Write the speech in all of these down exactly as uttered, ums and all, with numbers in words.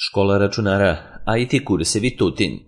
Škola računara I T kursevi Tutin.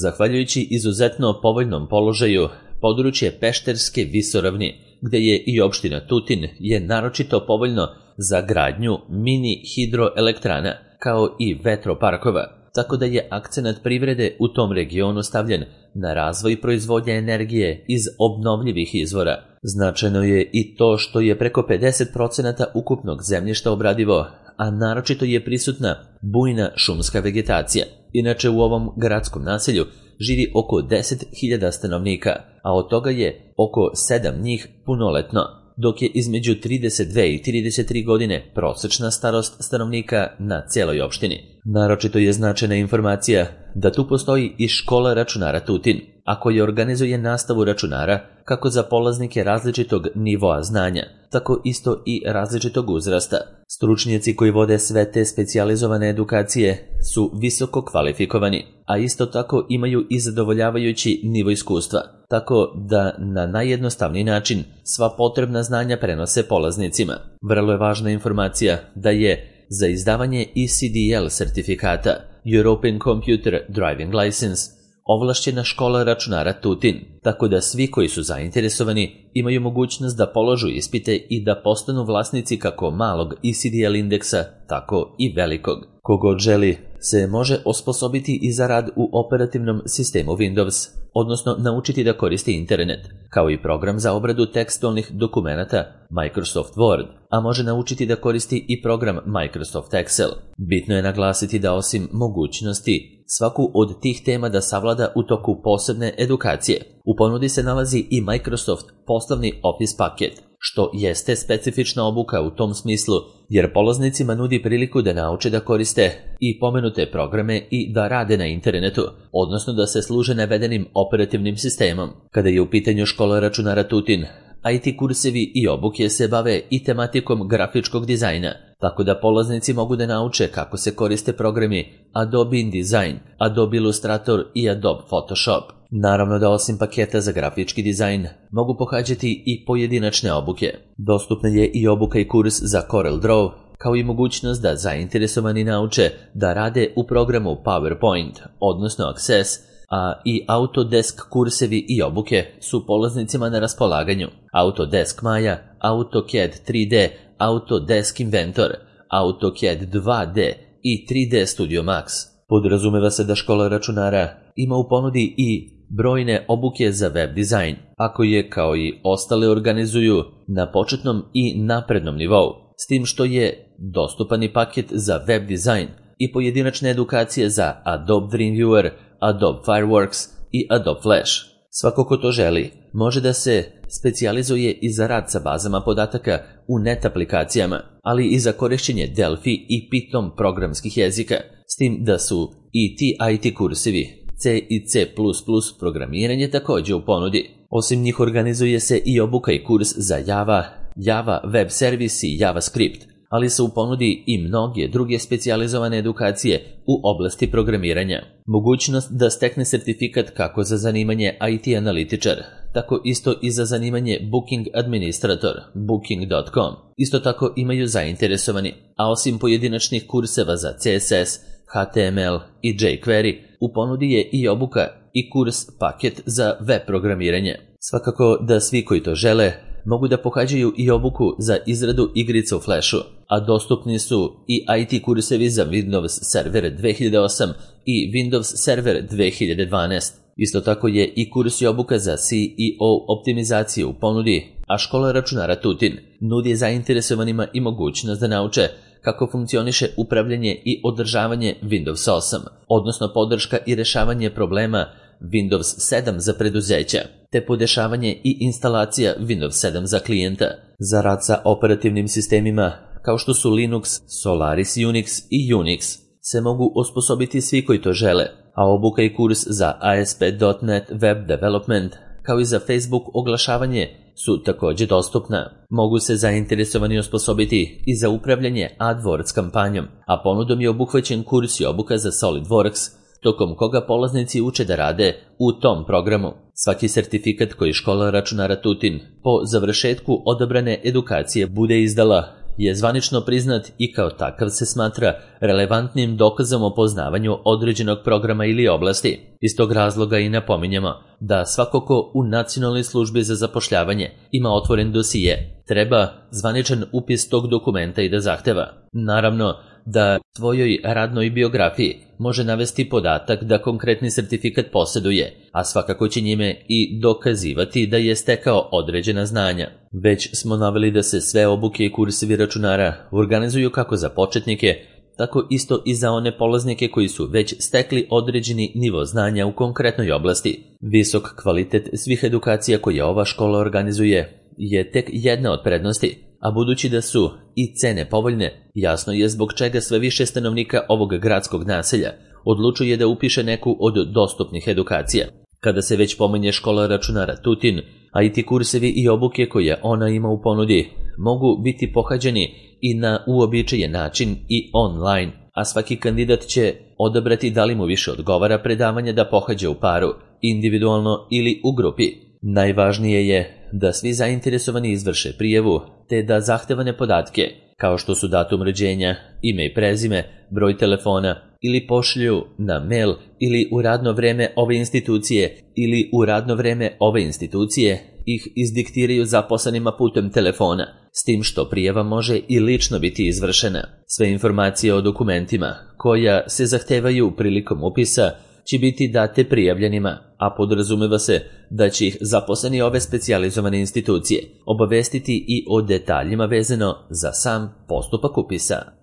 Zahvaljujući izuzetno povoljnom položaju, područje Pešterske visoravni, gde je i opština Tutin, je naročito povoljno za gradnju mini hidroelektrana, kao i vetroparkova, tako da je akcenat privrede u tom regionu stavljen na razvoj proizvodnje energije iz obnovljivih izvora. Značajno je i to što je preko pedeset procenata ukupnog zemljišta obradivo, a naročito je prisutna bujna šumska vegetacija. Inače, u ovom gradskom naselju živi oko deset hiljada stanovnika, a od toga je oko sedam njih punoletno, dok je između trideset dve i trideset tri godine prosečna starost stanovnika na cijeloj opštini. Naročito je značajna informacija da tu postoji i škola računara Tutin, a koja organizuje nastavu računara kako za polaznike različitog nivoa znanja, tako isto i različitog uzrasta. Stručnjaci koji vode sve te specijalizovane edukacije su visoko kvalifikovani, a isto tako imaju i zadovoljavajući nivo iskustva, tako da na najjednostavniji način sva potrebna znanja prenose polaznicima. Vrlo je važna informacija da je za izdavanje E C D L sertifikata European Computer Driving License ovlašćena škola računara Tutin, tako da svi koji su zainteresovani imaju mogućnost da položu ispite i da postanu vlasnici kako malog E C D L indeksa, tako i velikog. Kogod želi se može osposobiti i za rad u operativnom sistemu Windows, odnosno naučiti da koristi internet, kao i program za obradu tekstualnih dokumenata Microsoft Word, a može naučiti da koristi i program Microsoft Excel. Bitno je naglasiti da osim mogućnosti svaku od tih tema da savlada u toku posebne edukacije, u ponudi se nalazi i Microsoft poslovni Office paket, što jeste specifična obuka u tom smislu, jer polaznicima nudi priliku da nauče da koriste i pomenute programe i da rade na internetu, odnosno da se služe navedenim operativnim sistemom. Kada je u pitanju škola računara Tutin, I T kursevi i obuke se bave i tematikom grafičkog dizajna, tako da polaznici mogu da nauče kako se koriste programi Adobe InDesign, Adobe Illustrator i Adobe Photoshop. Naravno da osim paketa za grafički dizajn mogu pohađati i pojedinačne obuke. Dostupna je i obuka i kurs za Corel Draw, kao i mogućnost da zainteresovani nauče da rade u programu PowerPoint, odnosno Access, a i Autodesk kursevi i obuke su polaznicima na raspolaganju. Autodesk Maya, AutoCAD tri D, Autodesk Inventor, AutoCAD dva D i tri D Studio Max. Podrazumeva se da škola računara ima u ponudi i brojne obuke za web dizajn, ako je kao i ostale organizuju na početnom i naprednom nivou, s tim što je dostupan i paket za web dizajn i pojedinačne edukacije za Adobe Dreamweaver, Adobe Fireworks i Adobe Flash. Svako ko to želi može da se specijalizuje i za rad sa bazama podataka u net aplikacijama, ali i za korišćenje Delphi i Python programskih jezika, s tim da su i ti I T kursevi C i C plus plus programiranje također u ponudi. Osim njih organizuje se i obuka i kurs za Java, Java Web Service i JavaScript, ali su u ponudi i mnoge druge specijalizovane edukacije u oblasti programiranja. Mogućnost da stekne sertifikat kako za zanimanje I T analitičar, tako isto i za zanimanje Booking Administrator, booking dot com. Isto tako imaju zainteresovani, a osim pojedinačnih kurseva za C S S, H T M L i jQuery, u ponudi je i obuka i kurs paket za web programiranje. Svakako da svi koji to žele mogu da pohađaju i obuku za izradu igrica u Flashu, a dostupni su i I T kursevi za Windows Server dve hiljade osam i Windows Server dve hiljade dvanaest. Isto tako je i kurs i obuka za C E O optimizaciju u ponudi, a škola računara Tutin nudi zainteresovanima i mogućnost da nauče kako funkcioniše upravljanje i održavanje Windows osam, odnosno podrška i rešavanje problema Windows sedam za preduzeća, te podešavanje i instalacija Windows sedam za klijenta. Za rad sa operativnim sistemima kao što su Linux, Solaris Unix i Unix se mogu osposobiti svi koji to žele, a obuka i kurs za A S P dot net Web Development kao i za Facebook oglašavanje su također dostupna. Mogu se zainteresovani osposobiti i za upravljanje AdWords kampanjom, a ponudom je obuhvaćen kurs i obuka za SolidWorks, tokom koga polaznici uče da rade u tom programu. Svaki sertifikat koji škola računara Tutin po završetku odabrane edukacije bude izdala je zvanično priznat i kao takav se smatra relevantnim dokazom o poznavanju određenog programa ili oblasti. Iz tog razloga i napominjemo da svako ko u Nacionalnoj službi za zapošljavanje ima otvoren dosije, treba zvaničan upis tog dokumenta i da zahteva. Naravno da svojoj radnoj biografiji može navesti podatak da konkretni sertifikat posjeduje, a svakako će njime i dokazivati da je stekao određena znanja. Već smo naveli da se sve obuke i kursevi računara organizuju kako za početnike, tako isto i za one polaznike koji su već stekli određeni nivo znanja u konkretnoj oblasti. Visok kvalitet svih edukacija koje ova škola organizuje je tek jedna od prednosti, a budući da su i cene povoljne, jasno je zbog čega sve više stanovnika ovog gradskog naselja odlučuje da upiše neku od dostupnih edukacija. Kada se već pominje škola računara Tutin, a i ti kursevi i obuke koje ona ima u ponudi mogu biti pohađani i na uobičajen način i online, a svaki kandidat će odabrati da li mu više odgovara predavanje da pohađa u paru, individualno ili u grupi. Najvažnije je da svi zainteresovani izvrše prijavu, te da zahtevane podatke, kao što su datum rođenja, ime i prezime, broj telefona, ili pošlju na mail ili u radno vreme ove institucije ili u radno vreme ove institucije ih izdiktiraju zaposlenima putem telefona, s tim što prijava može i lično biti izvršena. Sve informacije o dokumentima koja se zahtevaju prilikom upisa će biti date prijavljenima, a podrazumeva se da će ih zaposleni ove specijalizovane institucije obavestiti i o detaljima vezano za sam postupak upisa.